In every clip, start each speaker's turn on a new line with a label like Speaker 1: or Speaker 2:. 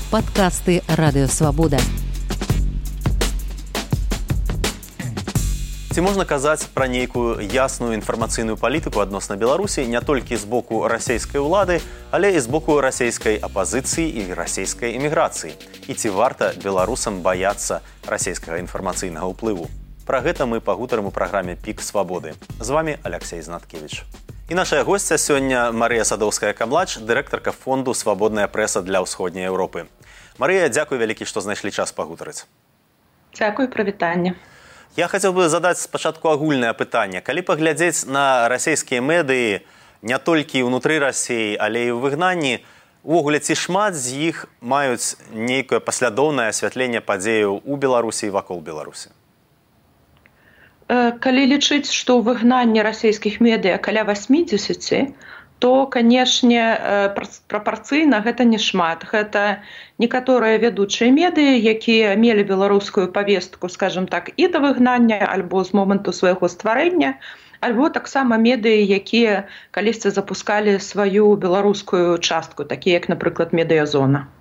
Speaker 1: Падкасты Радыёвабода.
Speaker 2: Ці можна казаць пра нейкую ясную інфармацыйную палітыку адносна Беларусі не толькі з боку расійскай улады, але і з боку расійскай апазіцыі і расійскай эміграцыі? І ці варта беларусам баяцца расійскага інфармацыйнага ўплыву? Пра гэта мы пагутарым у праграме «Пік свабоды». З вами Алексей Знаткевич. І наша госця сёння Марыя Садоўская-Камлач, дырэктарка фонду «Свабодная прэса для ўсходняй Еўропы». Марыя, дзякуй вялікі, што знайшлі час пагутарыць.
Speaker 3: Дзякуй, прывітанне.
Speaker 2: Я хацеў бы задаць спачатку агульнае пытанне. Калі паглядзець на расійскія медыі не толькі ўнутры Расіі, але і ў выгнанні, увогуле ці шмат з іх маюць нейкае паслядоўнае асвятленне падзеяў у Беларусі і вакол Беларусі?
Speaker 3: Калі лічыць, што ў выгнанні расійскіх медыа каля 80, то, канешне, прапарцыйна гэта не шмат. Гэта некаторыя вядучыя медыі, якія мелі беларускую павестку, скажем так, і да выгнання, альбо з моманту свайго стварэння, альбо таксама медыі, якія калісьці запускалі сваю беларускую частку, такія як, напрыклад, медыязона.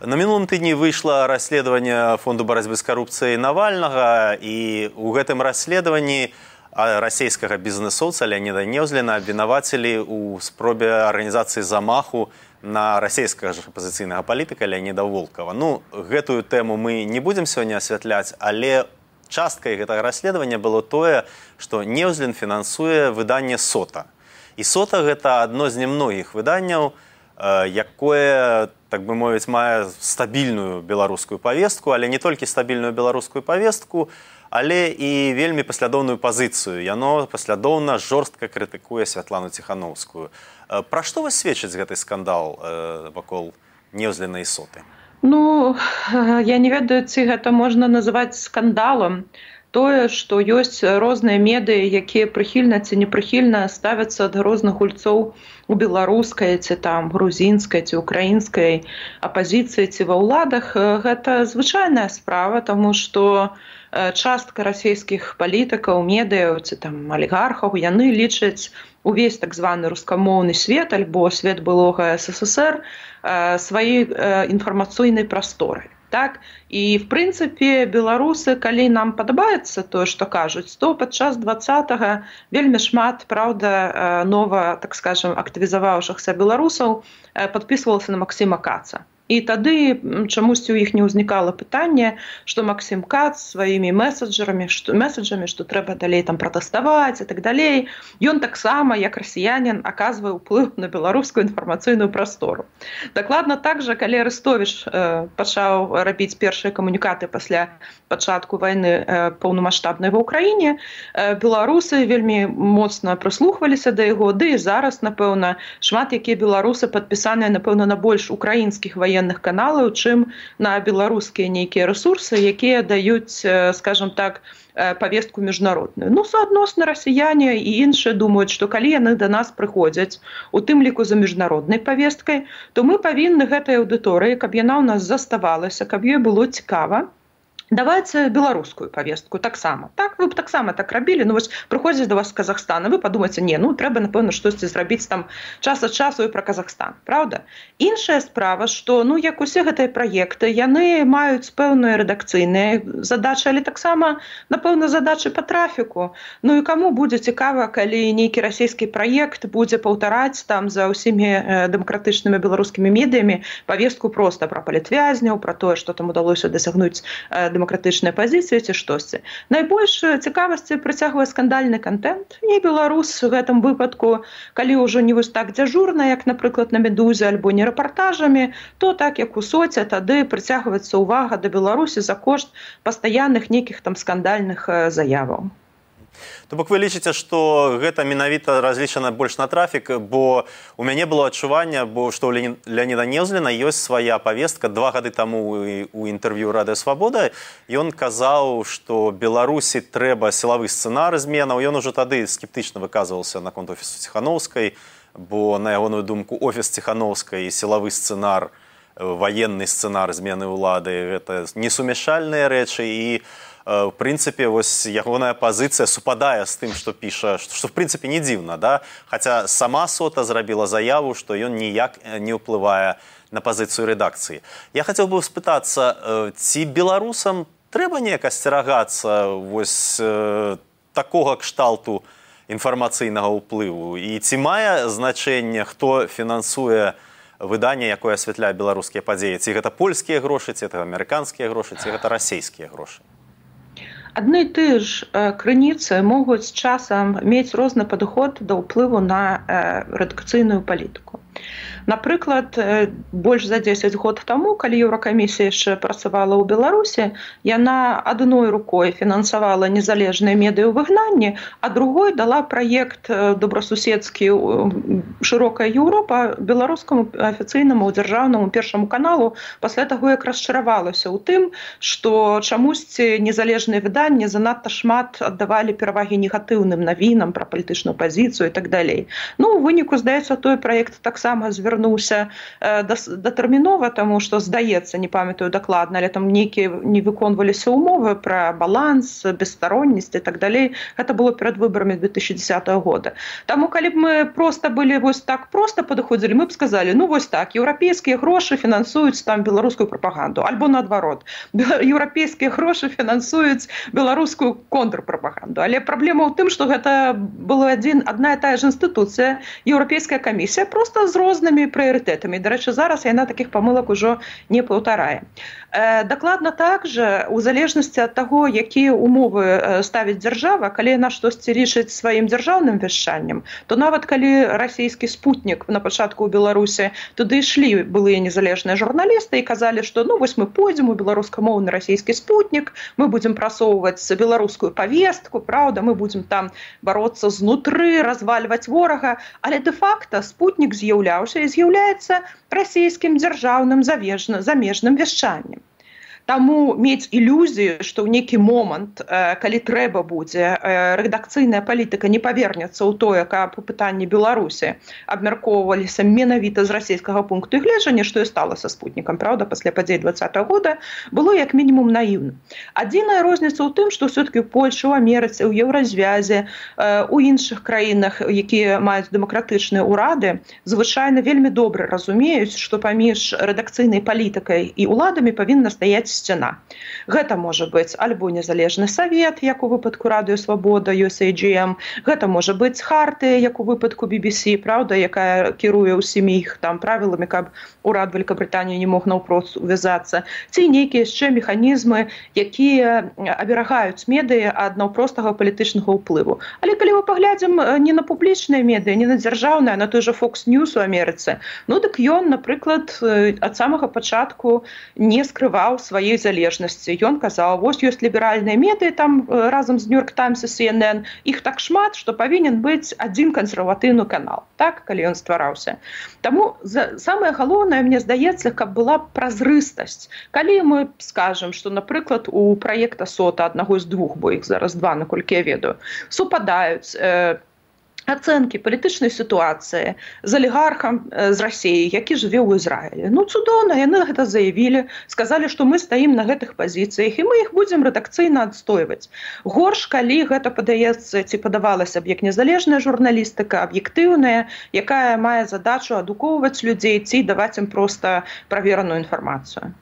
Speaker 2: На мінулым тыдні выйшла расследаванне фонду барацьбы з карупцыяй Навальнага, і ў гэтым расследаванні расійскага бізнэсоўца Леаніда Неўзліна абвінавацілі ў спробе арганізацыі замаху на расійскага ж апазіцыйнага палітыка Леаніда Волкава. Гэтую тэму мы не будзем сёння асвятляць, але часткай гэтага расследавання было тое, што Неўзлін фінансуе выданне «Сота». І «Сота» гэта адно з немногіх выданняў, якое, так бы мовіць, мае стабільную беларускую павестку, але не толькі стабільную беларускую павестку, але і вельмі паслядоўную пазіцыю. Яно паслядоўна жорстка крытыкуе Святлану Ціхановскую. Пра што вас сведчыць гэты скандал вакол Неўзліна і «Соты»?
Speaker 3: Я не ведаю, ці гэта можна называць скандалам. Тое, што ёсць розныя медыі, якія прыхільна ці непрыхільна ставяцца да розных гульцоў у беларускай, ці там грузінскай, ці украінскай апазіцыі, ці ва ўладах, гэта звычайная справа, таму што частка расійскіх палітыкаў, медыяў ці там алігархаў, яны лічаць увесь так званы рускамоўны свет альбо свет былога СССР сваёй інфармацыйнай прасторай. Так? І, в прынцыпе, беларусы, калі нам падабаецца тое, што кажуць, то падчас 20-го вельмі шмат, праўда, нова, так скажем, актывізаваўшыхся беларусаў падпісвалася на Максіма Каца. І тады чамусьці ў іх не ўзнікала пытанне, што Максім Кац сваімі месаджамі, што трэба далей там пратэставаць і так далей, ён таксама, як расіянін, аказвае ўплыў на беларускую інфармацыйную прастору. Дакладна так жа, калі Арестович пачаў рабіць першыя камунікаты пасля пачатку вайны паўнамаштабнай ва ўкраіне, беларусы вельмі моцна прыслухваліся да яго, ды і зараз, напэўна, шмат якія беларусы падпісаныя, напэўна, на больш украінскіх военных каналаў, чым на беларускія нейкія рэсурсы, якія даюць, скажем так, павестку міжнародную. Суадносна расіяне і іншыя думаюць, што калі яны да нас прыходзяць, у тым ліку за міжнароднай павесткай, то мы павінны гэтай аўдыторыі, каб яна ў нас заставалася, каб ёй было цікава, давайце беларускую павестку таксама. Так, вы б таксама так рабілі, вось прыходзіць да вас з Казахстана, вы падумаеце, трэба, напэўна, штосьці зрабіць там час ад часу і пра Казахстан, правда? Іншая справа, што, як усе гэтыя праекты, яны маюць пэўныя рэдакцыйныя задачы, але таксама, напэўна, задачы па трафіку. І каму будзе цікава, калі нейкі расійскі праект будзе паўтараць там за ўсімі дэмакратычнымі беларускімі медыямі павестку проста пра палітвязняў, пра тое, што там удалося дасягнуць дэмакратычныя пазіцыі ці штосьці. Найбольш цікавасці прыцягвае скандальны кантэнт, і беларус у гэтым выпадку, калі ўжо не вось так дзяжурна, як, напрыклад, на «Медузе» альбо не рэпартажамі, то так, як у «Соце», тады прыцягваецца ўвага да Беларусі за кошт пастаянных нейкіх там скандальных заяваў.
Speaker 2: То бок вы лічыце, што гэта менавіта разлічана больш на трафік, бо у мяне было адчуванне, што ў Леаніда Неўзліна ёсць свая павестка. 2 гады таму у інтэрв'ю «Радыёвабода» ён казаў, што Беларусі трэба сілавы сцэнар зменаў. Ён ужо тады скептычна выказваўся наконт офісу Ціхановскай, бо, на ягоную думку, офіс Ціхановскай і сілавы сцэнар, ваенны сцэнар змены ўлады – гэта несумяшальныя рэчы. І в прынцыпе вось ягоная пазіцыя супадае з тым, што піша, што в прынцыпе не дзіўна, да? Хаця сама Сота зрабіла заяву, што ён ніяк не ўплывае на пазіцыю рэдакцыі. Я хацеў бы спытацца, ці беларусам трэба неяк асцерагацца вось такога кшталту інфармацыйнага ўплыву? І ці мае значэнне, хто фінансуе выданне, якое асвятляе беларускія падзеі? Ці гэта польскія грошы, ці гэта амерыканскія грошы, ці гэта расійскія грошы?
Speaker 3: Адны і тыя ж крыніцы могуць з часам мець розны падыход да ўплыву на рэдакцыйную палітыку. Напрыклад, больш за 10 год таму, калі Еўракамісія яшчэ працавала ў Беларусі, яна адной рукой фінансавала незалежныя медыа ў выгнанні, а другой дала праект добрасуседскі «Шырокая Еўропа» беларускаму афіцыйнаму дзяржаўнаму першаму каналу пасля таго, як расчаравалася ў тым, што чамусьці незалежныя выданні занадта шмат аддавалі перавагі негатыўным навінам пра палітычную пазіцыю і так далей. Ну, у выніку, здаецца, той праект таксама звярнуўся датэрмінова, таму што, здаецца, не памятаю дакладна, але там нейкія не выконваліся ўмовы пра баланс, бесстароннасць і так далей. Гэта было перад выбарамі 2010 года. Таму, калі б мы проста былі вось так проста падыходзілі, мы б сказалі, ну вось так, еўрапейскія грошы фінансуюць там беларускую прапаганду, альбо наадварот, еўрапейскія грошы фінансуюць беларускую контрпрапаганду. Але праблема ў тым, што гэта была адна і тая ж інстытуцыя, Еўрапейская камісія, проста з рознымі прыярытэтамі. Дарэчы, зараз яна такіх памылак ужо не паўтарае. Дакладна так жа, у залежнасці ад таго, якія умовы ставіць дзяржава, калі яна штосьці лічыць сваім дзяржаўным вяшчаннем, то нават калі расійскі спутнік на пачатку ў Беларусі, туды ішлі былыя незалежныя журналісты і казалі, што ну вось мы пойдзем у беларускамоўны расійскі спутнік, мы будзем прасоўваць беларускую павестку, праўда, мы будзем там бароцца знутры, развальваць ворага, але дэ-факта спутнік з'яўляўся і з'яўляецца расійскім дзяржаўным замежным вяшчаннем. Таму мець ілюзію, што ў нейкі момант, калі трэба будзе, рэдакцыйная палітыка не павернецца ў тое, каб пытанні Беларусі абмяркоўваліся менавіта з расійскага пункту гледжання, што і стала са спутнікам, праўда, пасля падзей 2020 года, было як мінімум наіўна. Адзіная розніца ў тым, што ўсё-такі ў Польшы, у Амерыцы, ў Еўразвязе, у іншых краінах, якія маюць дэмакратычныя ўрады, звычайна вельмі добра разумеюць, што паміж рэдакцыйнай палітыкай і ўладамі павінна стаяць сцяна. Гэта можа быць альбо незалежны савет, як у выпадку Радыё Свабода, USAGM, гэта можа быць хартыя, як у выпадку BBC, праўда, якая кіруе ўсімі іх там правіламі, каб урад Вялікабрытаніі не мог наўпрост увязацца, ці нейкія яшчэ механізмы, якія аберагаюць медыа ад наўпростага палітычнага ўплыву. Але калі мы паглядзім не на публічныя медыа, не на дзяржаўныя, на той жа Fox News у Амерыцы, ну дык ён, напрыклад, ад самага пачатку не скрываў свае залежнасці. Ён казаў, вось ёсць ліберальныя медыа там разам з New York Times і CNN, іх так шмат, што павінен быць адзін кансерватыўны канал, так, калі ён ствараўся. Таму самае галоўнае, мне здаецца, каб была празрыстасць. Калі мы скажам, што, напрыклад, у праекта Сота, аднаго з двух, бо іх зараз два, наколькі я ведаю, супадаюць ацэнкі палітычнай сітуацыі з алігархам з Расіі, які жыве ў Ізраілі. Ну, цудоўна, яны гэта заявілі, сказалі, што мы стаім на гэтых пазіцыях, і мы іх будзем рэдакцыйна адстойваць. Горш, калі гэта падаецца, ці падавалася б як незалежная журналістыка, аб'ектыўная, якая мае задачу адукоўваць людзей ці даваць ім проста правераную інфармацыю.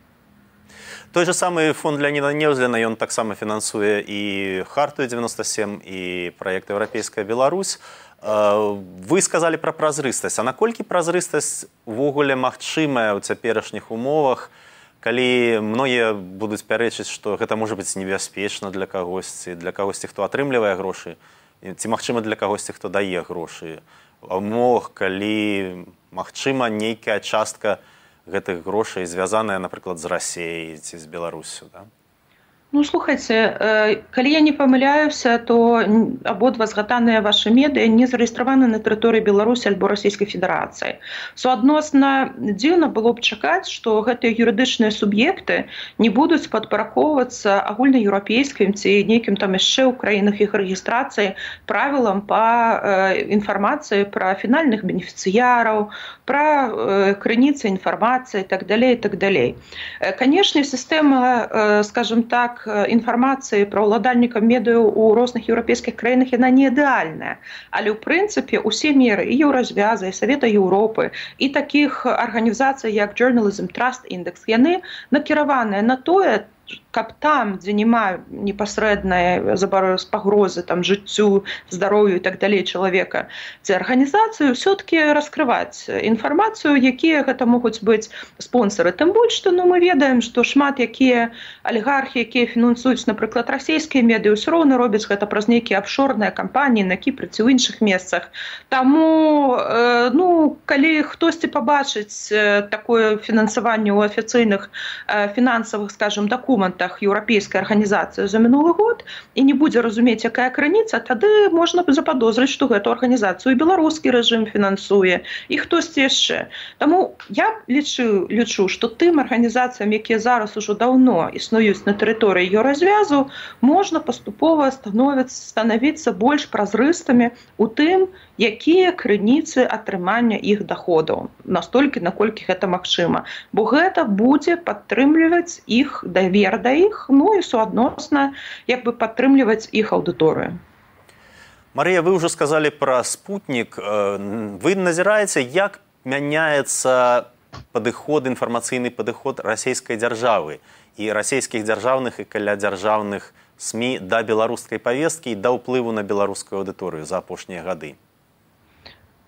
Speaker 2: Той же самы фонд Леоніда Неўзліна, ён таксама фінансуе і Хартію 97, і праект «Еўрапейская Беларусь». Вы сказалі пра празрыстасць. А наколькі празрыстасць увогуле магчымая ў цяперашніх умовах, калі многія будуць пярэчыць, што гэта можа быць небяспечна для кагосьці, хто атрымлівае грошы, ці магчыма для кагосьці, хто дае грошы. А ў умовах, калі магчыма нейкая частка гэтых грошай звязаная, напрыклад, з Расіяй ці з Беларусю, да?
Speaker 3: Ну, слухайце, калі я не памыляюся, то абодва згаданыя вашы медыа не зарэгістраваны на тэрыторыі Беларусі альбо Расійскай Федэрацыі. Суадносна дзіўна было б чакаць, што гэтыя юрыдычныя суб'екты не будуць падпарадкоўвацца агульнаеўрапейскім ці нейкім там яшчэ ў краінах іх рэгістрацыі правілам па інфармацыі пра фінальных бенефіцыяраў, пра крыніцы інфармацыі і так далей, і так далей. Канешне, сістэма, скажем так, так інфармацыі пра ўладальнікаў медыяў у розных еўрапейскіх краінах яна не ідэальная. Але ў прынцыпе усе меры і Еўразвяза, і Савета Еўропы, і такіх арганізацый як Journalism Trust Index, яны накіраваныя на тое, каб там, дзе няма непасрэднай пагрозы там, жыццю, здароўю і так далей чалавека, ці арганізацыю ўсё-такі раскрываць інфармацыю, якія гэта могуць быць спонсары. Тым больш, што мы ведаем, што шмат якія алігархі, якія фінансуюць, напрыклад, расійскія медыі, ўсё роўна робяць гэта праз нейкія афшорныя кампаніі на Кіпры ці ў іншых месцах. Таму, калі хтосьці пабачыць такое фінансаванне ў афіцыйных фінансавых, скажем, дакументах еўрапейскай арганізацыі за мінулы год і не будзе разумець, якая крыніца, тады можна заподозрыць, што гэту арганізацыю беларускі рэжым фінансуе і хтосьці яшчэ. Таму я лічу, што тым арганізацыям, якія зараз ужо даўно існуюць на тэрыторыі Еўразвязу, можна паступова становіцца больш празрыстымі ў тым, якія крыніцы атрымання іх даходаў, настолькі, наколькі гэта магчыма. Бо гэта будзе падтрымліваць іх давер да іх, і суадносна падтрымліваць іх аўдыторыю.
Speaker 2: Марыя, вы ўжо сказалі пра спутнік. Вы назіраеце, як мяняецца інфармацыйны падыход расійскай дзяржавы і расійскіх дзяржаўных і калядзяржаўных СМІ да беларускай павесткі і да ўплыву на беларускую аўдыторыю за апошнія гады?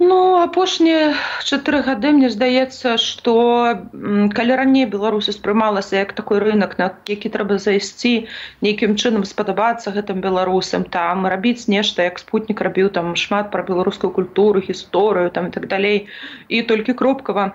Speaker 3: Апошнія 4 гады, мне здаецца, што калі раней Беларусь успрымалася як такой рынок, на які трэба зайсці, нейкім чынам спадабацца гэтым беларусам, там рабіць нешта, як спутнік рабіў там шмат пра беларускую культуру, гісторыю там і так далей, і толькі кропкава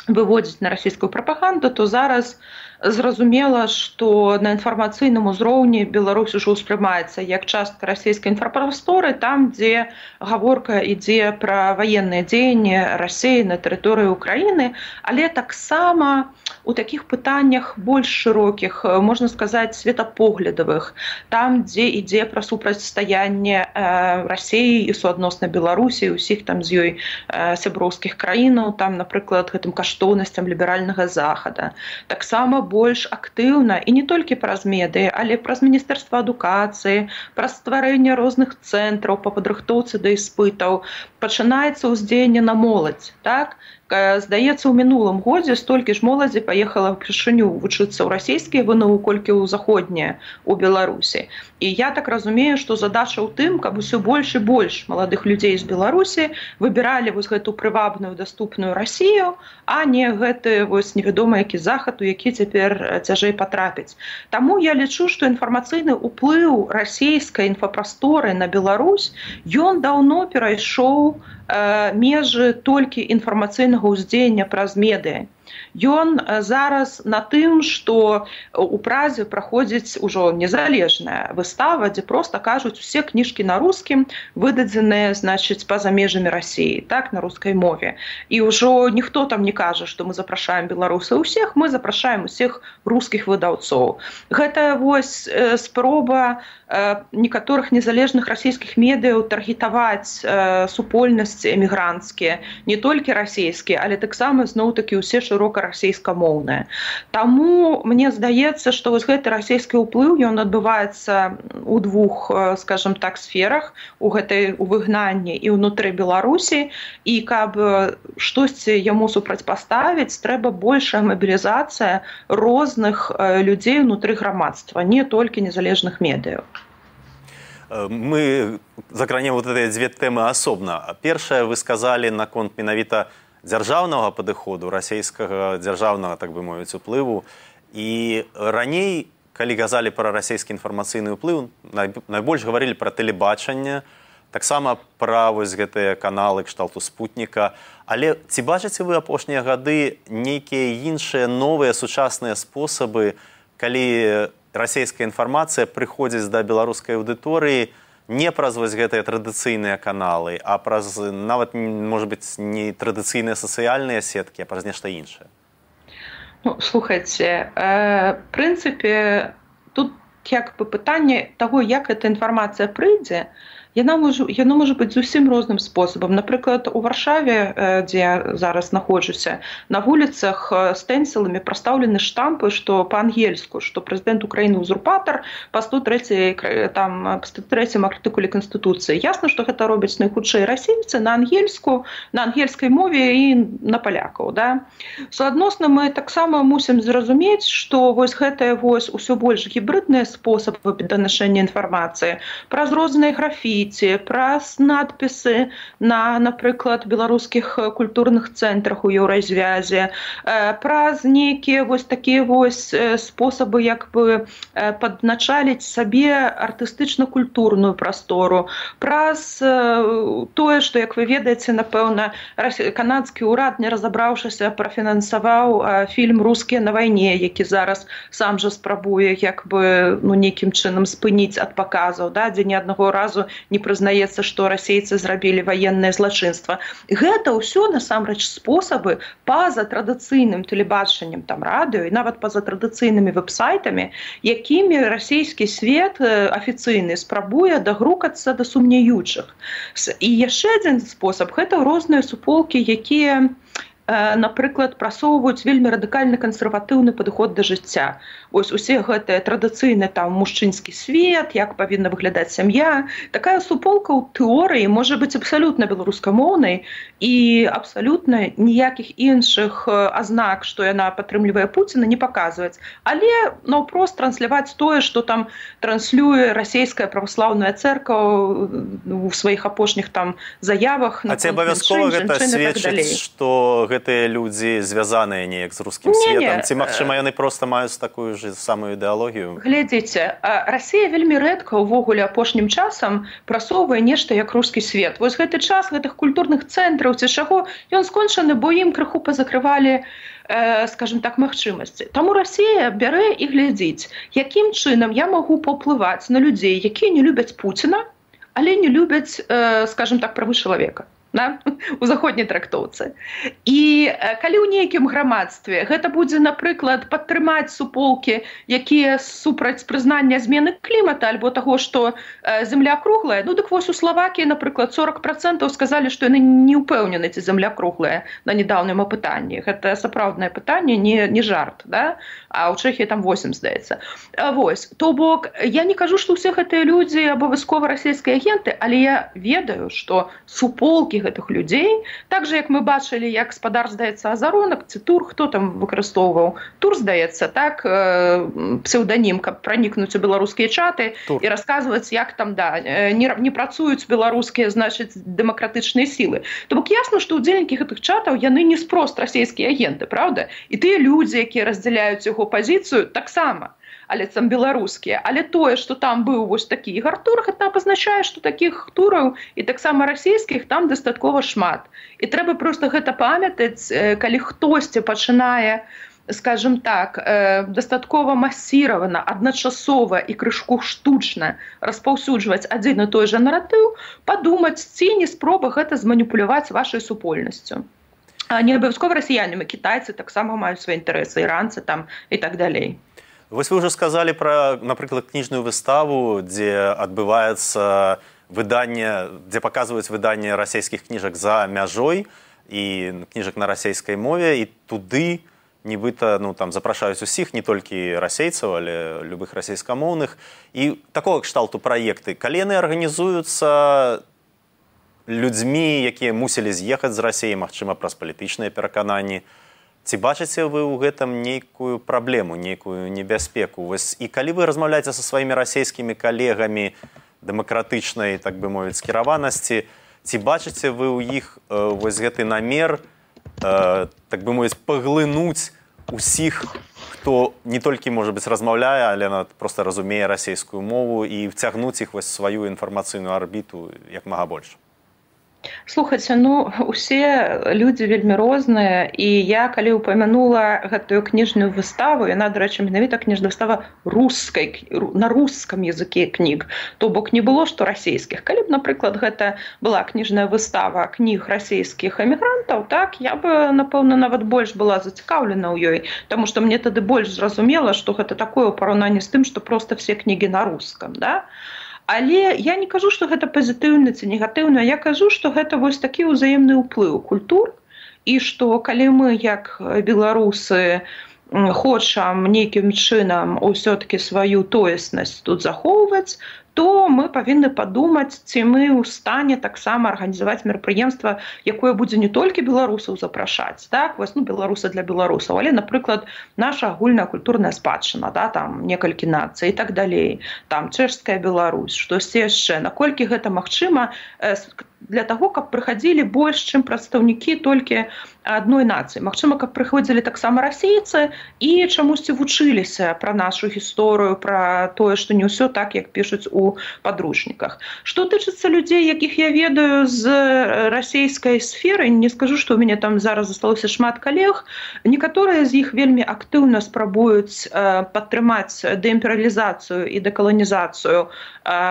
Speaker 3: выводзіць на расійскую прапаганду, то зараз зразумела, што на інфармацыйным узроўні Беларусь ужо ўспрымаецца як частка расійскай інфрапрасторы, там, дзе гаворка ідзе пра ваенныя дзеянні Расіі на тэрыторыі Украіны, але таксама у такіх пытаннях больш шырокіх, можна сказаць, светапоглядавых, там, дзе ідзе пра супрацьстаянне Расіі і суадносна Беларусі, усіх там з ёй сяброўскіх краінаў, там, напрыклад, гэтым каштоўнасцям ліберальнага захада. Таксама больш актыўна, і не толькі праз медыі, але праз Міністэрства адукацыі, праз стварэнне розных цэнтраў па падрыхтоўцы да іспытаў, пачынаецца ўздзеянне на моладзь, так? Здаецца, у мінулым годзе столькі ж моладзі паехала ўпершыню вучыцца ў расійскія ВНУ, колькі ў заходнія ў Беларусі. І я так разумею, што задача ў тым, каб усё больш і больш маладых людзей з Беларусі выбіралі гэту прывабную, даступную Расію, а не гэты невядома які захад, у які цяпер цяжэй патрапіць. Таму я лічу, што інфармацыйны ўплыў расійскай інфапрасторы на Беларусь, ён даўно перайшоў межы толькі інфармацыйнага ўздзеяння праз медыа. Ён зараз на тым, што у Празе праходзіць ужо незалежная выстава, дзе проста кажуць усе кніжкі на рускім, выдадзеныя, значыць, па-за межамі Расіі, так, на рускай мове. І ўжо ніхто там не кажа, што мы запрашаем беларусаў усіх, мы запрашаем усіх рускіх выдаўцоў. Гэта спроба некаторых незалежных расійскіх медыяў таргетаваць супольнасці эмігранцкія, не толькі расійскія, але таксама зноў-такі ўсе шырока расійскамоўныя. Таму мне здаецца, што гэты расійскі ўплыў ён адбываецца ў двух, скажем так, сферах, у выгнанні і ўнутры Беларусі, і каб штосьці яму супрацьпаставіць, трэба большая мабілізацыя розных людзей ўнутры грамадства, не толькі незалежных медыяў.
Speaker 2: Мы закранем эти две темы асобна. Першае, вы сказали наконт менавіта дзяржаўнага падыходу, расійскага дзяржаўнага, так бы мовіць, уплыву. І раней, калі казалі пра расійскі інфармацыйны ўплыў, найбольш гаварылі пра тэлебачанне, таксама пра гэтыя каналы кшталту спутніка. Але ці бачыце вы апошнія гады нейкія іншыя новыя сучасныя спосабы, калі расійская інфармацыя прыходзіць да беларускай аўдыторыі не праз гэтыя традыцыйныя каналы, а праз нават, можа быць, не традыцыйныя сацыяльныя сеткі, а праз нешта іншае?
Speaker 3: Слухайце, в прынцыпе, тут як бы пытанне таго, як эта інфармацыя прыйдзе, яно можа быць зусім розным спосабам. Напрыклад, у Варшаве, дзе я зараз знаходжуся, на вуліцах стэнсіламі прастаўлены штампы, што па-ангельску, што прэзідэнт Украіны узурпатар па 103-м артыкуле Канстытуцыі. Ясна, што гэта робяць найхутчэй расейцы на ангельскай мове і на палякаў. Да? Суадносна мы таксама мусім зразумець, што вось гэтыя вось усё больш гібрыдныя спосабы данашэння інфармацыі праз розныя графіці, праз надпісы на, напрыклад, беларускіх культурных цэнтрах у Еўразвязе, праз нейкія вось такія вось спосабы як бы падначаліць сабе артыстычна-культурную прастору, праз тое, што, як вы ведаеце, напэўна, канадскі ўрад, не разабраўшыся, прафінансаваў фільм «Рускія на вайне», які зараз сам жа спрабуе як бы нейкім чынам спыніць ад паказаў, да, дзе ні аднаго разу не прызнаецца, што расейцы зрабілі ваеннае злачынства. Гэта ўсё насамрэч спосабы па-за традыцыйным тэлебачаннем, там радыё і нават па-за традыцыйнымі вэб-сайтамі, якімі расійскі свет афіцыйны спрабуе дагрукацца да сумнеючых. І яшчэ адзін спосаб гэта розныя суполкі, якія, напрыклад, прасоўваюць вельмі радыкальны кансерватыўны падыход да жыцця. Вось усе гэтыя традыцыйны там мужчынскі свет, як павінна выглядаць сям'я. Такая суполка ў тэорыі можа быць абсалютна беларускамоўнай і абсалютна ніякіх іншых азнак, што яна падтрымлівае Пуціна, не паказваць. Але наўпрост трансляваць тое, што там транслюе расійская праваслаўная цэрква ў сваіх апошніх там заявах.
Speaker 2: А ці абавязкова гэта сведчыць, што гэтыя людзі звязаныя неяк з рускім светам? Ці, магчыма, яны проста маюць такую ж самую ідэалогію?
Speaker 3: Глядзіце, Расія вельмі рэдка ўвогуле апошнім часам прасоўвае нешта як рускі свет. Вось гэты час гэтых культурных цэнтраў ці чаго, ён скончаны, бо ім крыху пазакрывалі, скажем так, магчымасці. Таму Расія бярэ і глядзіць, якім чынам я магу паўплываць на людзей, якія не любяць Пуціна, але не любяць, скажем так, правы чалавека. У заходняй трактоўцы. І калі ў нейкім грамадстве гэта будзе, напрыклад, падтрымаць суполкі, якія супраць прызнання змены клімата альбо таго, што зямля круглая, ну дык вось у Славакіі, напрыклад, 40% сказалі, што яны не ўпэўнены, ці зямля круглая на нядаўнім апытанні. Гэта сапраўднае пытанне, не жарт, да? А ў Чэхіі там 8, здаецца. Вось, то бок, я не кажу, што ўсе гэтыя людзі абавязкова расійскія агенты, але я ведаю, што суполкі гэтых людзей, так же, як мы бачылі, як спадар, здаецца, Азаронак, ці Тур, хто там выкарыстоўваў? Тур, здаецца, так, псеўданім, каб пранікнуць у беларускія чаты Тур. І расказваць, як там, да, не працуюць беларускія, значыць, дэмакратычныя сілы. То бок ясна, што ўдзельнікі гэтых чатаў, яны не спрост расійскія агенты, правда? І тыя людзі, якія раздзяляюць яго пазіцыю, таксама. Але там беларускія. Але тое, што там быў вось такі Ігар Тур, гэта пазначае, што такіх тураў і таксама расійскіх там дастаткова шмат. І трэба проста гэта памятаць, калі хтосьці пачынае, скажем так, дастаткова масіравана, адначасова і крышку штучна распаўсюджваць адзін і той жа наратыў, падумаць, ці не спроба гэта зманіпуляваць вашай супольнасцю. А не абавязкова расіянамі, кітайцы таксама маюць свае інтарэсы, іранцы там і так далей.
Speaker 2: Вось вы ўжо сказалі пра, напрыклад, кніжную выставу, дзе адбываецца выданне, дзе паказваюць выданне расійскіх кніжак за мяжой і кніжак на расійскай мове, і туды нібыта, ну, там запрашаюць усіх, не толькі расейцаў, але любых расійскамоўных. І такога кшталту праекты, калі яны арганізуюцца людзьмі, якія мусілі з'ехаць з Расіі, магчыма, праз палітычныя перакананні, ці бачыце вы ў гэтым нейкую праблему, нейкую небяспеку? Вось, і калі вы размаўляеце са сваімі расійскімі калегамі дэмакратычнай, так бы мовіць, скіраванасці, ці бачыце вы ў іх вось гэты намер, так бы мовіць, паглынуць усіх, хто не толькі, можа быць, размаўляе, але проста разумее расійскую мову і вцягнуць іх вось сваю інфармацыйную арбіту як мага больш?
Speaker 3: Слухайце, ну, усе людзі вельмі розныя, і я, калі упамянула гэтую кніжную выставу, яна, дарэчы, менавіта кніжная выстава на рускам языке кніг, то бок не было што расійскіх. Калі б, напрыклад, гэта была кніжная выстава кніг расійскіх эмігрантаў, так, я бы, напэўна, нават больш была зацікаўлена ў ёй, таму што мне тады больш зразумела, што гэта такое ў параўнанні з тым, што проста все кнігі на рускам, да? Але я не кажу, што гэта пазітыўна ці негатыўна, я кажу, што гэта вось такі ўзаемны ўплыў культур, і што калі мы, як беларусы, хочам нейкім чынам ўсё-такі сваю тоеснасць тут захоўваць, то мы павінны падумаць, ці мы ў стане таксама арганізаваць мерапрыемства, якое будзе не толькі беларусаў запрашаць, так, вось, беларусы для беларусаў, але, напрыклад, наша агульная культурная спадчына, да, там некалькі нацый і так далей, там чэшская Беларусь, штосьці яшчэ, наколькі гэта магчыма для таго, каб прыхадзілі больш, чым прадстаўнікі толькі адной нацыі. Магчыма, каб прыходзілі таксама расейцы і чамусьці вучыліся пра нашу гісторыю, пра тое, што не ўсё так, як пішуць у падручніках. Што тычыцца людзей, якіх я ведаю з расейскай сферы, не скажу, што ў мяне там зараз засталося шмат калег, некаторыя з іх вельмі актыўна спрабуюць падтрымаць дэімперыялізацыю і дэкаланізацыю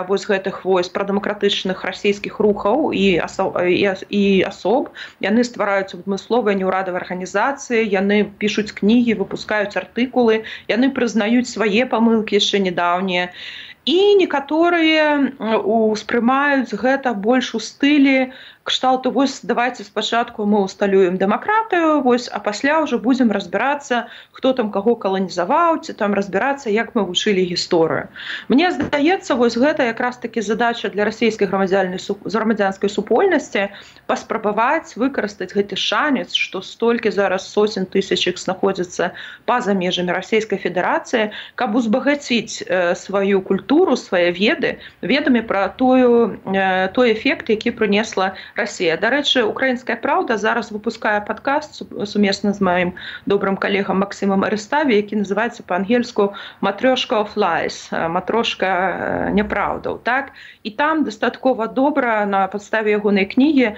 Speaker 3: вось гэтых вось прадэмакратычных расійскіх рухаў і асоб. Яны ствараюць адмысловыя неўрадавыя арганізацыі, яны пішуць кнігі, выпускаюць артыкулы, яны прызнаюць свае памылкі яшчэ нядаўнія. І некаторыя успрымаюць гэта больш у стылі кшталту, вось давайте спачатку мы усталюем дэмакратыю, вось, а пасля ўжо будзем разбірацца, хто там каго каланізаваў, ці там разбірацца, як мы вучылі гісторыю. Мне здаецца, вось гэта якраз такі задача для расійскай грамадзянскай супольнасці паспрабаваць выкарыстаць гэты шанец, што столькі зараз сотень тысяч іх знаходзяцца па-за межамі Расійскай Федэрацыі, каб узбагаціць сваю культуру, свае ведамі пра той эфект, які прынесла Расія. Дарэчы, «Украінская праўда» зараз выпускае падкаст сумесна з маім добрым калегам Максімам Арыставі, які называецца па-ангельску «Матрёшка of lies», «Матрошка няпраўдаў». Так? І там дастаткова добра на падставе ягонай кнігі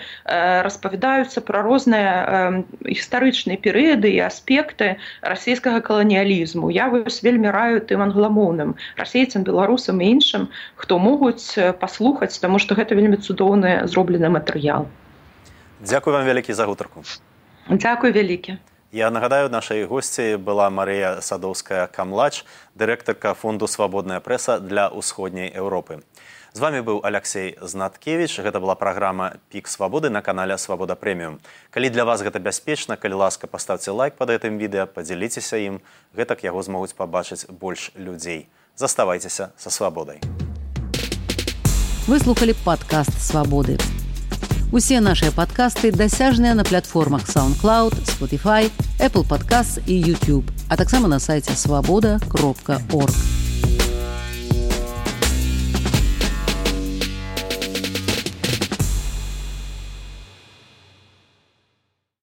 Speaker 3: распавядаюцца пра розныя гістарычныя перыяды і аспекты расійскага каланіялізму. Я вось вельмі раю тым англамоўным расейцам, беларусам і іншым, хто могуць паслухаць, таму што гэта вельмі цудоўны зроблены матэрыял.
Speaker 2: Дзякуй вам вялікі за гутарку.
Speaker 3: Дзякуй вялікі.
Speaker 2: Я нагадаю, нашай госці была Марыя Садоўская-Камлач, дырэктарка фонду «Свабодная прэса» для ўсходняй Еўропы. З вами быў Аляксей Знаткевіч. Гэта была праграма «Пік свабоды» на канале «Свабода Прэміум». Калі для вас гэта бяспечна, калі ласка, паставце лайк пад гэтым відэа, падзяліцеся ім, гэтак яго змогуць пабачыць больш людзей. Заставайцеся са свабодай.
Speaker 1: Вы слухали падкаст «Свабоды». Усе нашыя падкасты дасяжныя на платформах SoundCloud, Spotify, Apple Podcasts і YouTube, а таксама на сайце swaboda.org.